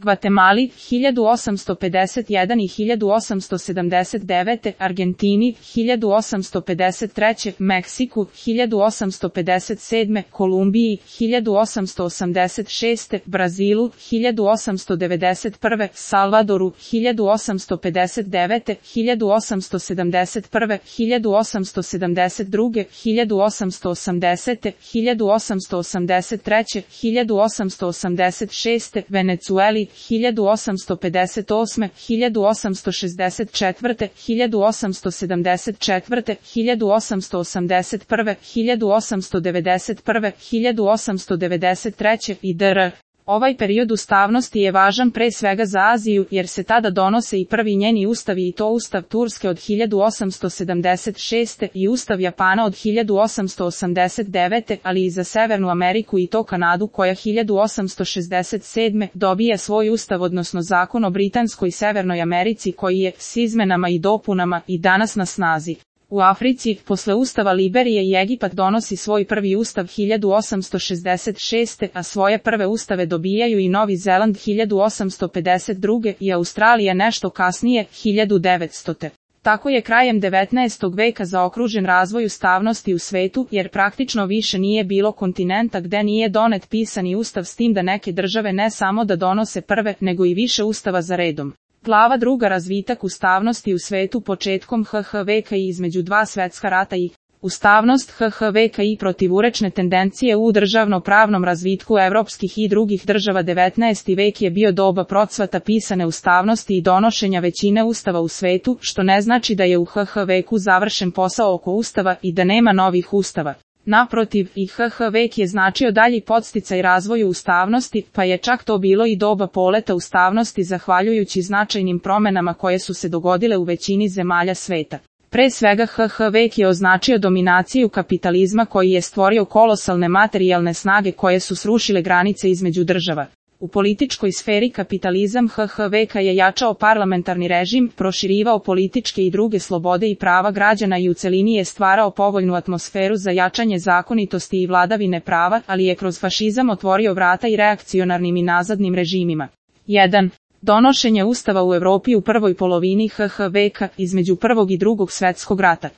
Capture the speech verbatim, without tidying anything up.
Gvatemali hiljadu osamsto pedeset jedan i hiljadu osamsto sedamdeset devete, Argentini hiljadu osamsto pedeset treće, Meksiku hiljadu osamsto pedeset sedme, Kolumbiji hiljadu osamsto osamdeset šeste, Brazilu hiljadu osamsto devedeset prve, Salvadoru hiljadu osamsto pedeset devete, hiljadu osamsto sedamdeset prve, hiljadu osamsto sedamdeset druge, hiljadu osamsto osamdesete, hiljadu osamsto osamdeset treće, hiljadu osamsto osamdeset šeste, Venecueli hiljadu osamsto pedeset osme, hiljadu osamsto šezdeset četvrte, hiljadu osamsto sedamdeset četvrte, hiljadu osamsto osamdeset prve, hiljadu osamsto devedeset prve, hiljadu osamsto devedeset treće i dr. Ovaj period ustavnosti je važan pre svega za Aziju, jer se tada donose i prvi njeni ustavi i to ustav Turske od hiljadu osamsto sedamdeset šeste i ustav Japana od hiljadu osamsto osamdeset devete, ali i za Severnu Ameriku i to Kanadu koja hiljadu osamsto šezdeset sedme dobija svoj ustav odnosno zakon o Britanskoj i Severnoj Americi koji je, s izmenama i dopunama, i danas na snazi. U Africi, posle ustava Liberije i Egipat donosi svoj prvi ustav hiljadu osamsto šezdeset šeste, a svoje prve ustave dobijaju i Novi Zeland hiljadu osamsto pedeset druge i Australija nešto kasnije, hiljadu devetstote. Tako je krajem devetnaestog veka zaokružen razvoj ustavnosti u svetu, jer praktično više nije bilo kontinenta gde nije donet pisani ustav, s tim da neke države ne samo da donose prve, nego i više ustava za redom. Glava druga razvitak ustavnosti u svetu početkom ha ha veka i između dva svetska rata i ustavnost ha ha veka i protivurečne tendencije u državno-pravnom razvitku evropskih i drugih država. devetnaesti vek je bio doba procvata pisane ustavnosti i donošenja većine ustava u svetu, što ne znači da je u ha ha veku završen posao oko ustava i da nema novih ustava. Naprotiv, i ha ha vek je značio dalji podsticaj razvoju ustavnosti, pa je čak to bilo i doba poleta ustavnosti zahvaljujući značajnim promenama koje su se dogodile u većini zemalja sveta. Pre svega ha ha vek je označio dominaciju kapitalizma koji je stvorio kolosalne materijalne snage koje su srušile granice između država. U političkoj sferi kapitalizam ha ha veka je jačao parlamentarni režim, proširivao političke i druge slobode i prava građana i u celini je stvarao povoljnu atmosferu za jačanje zakonitosti i vladavine prava, ali je kroz fašizam otvorio vrata i reakcionarnim i nazadnim režimima. jedan. Donošenje ustava u Evropi u prvoj polovini ha ha veka, između prvog i drugog svetskog rata.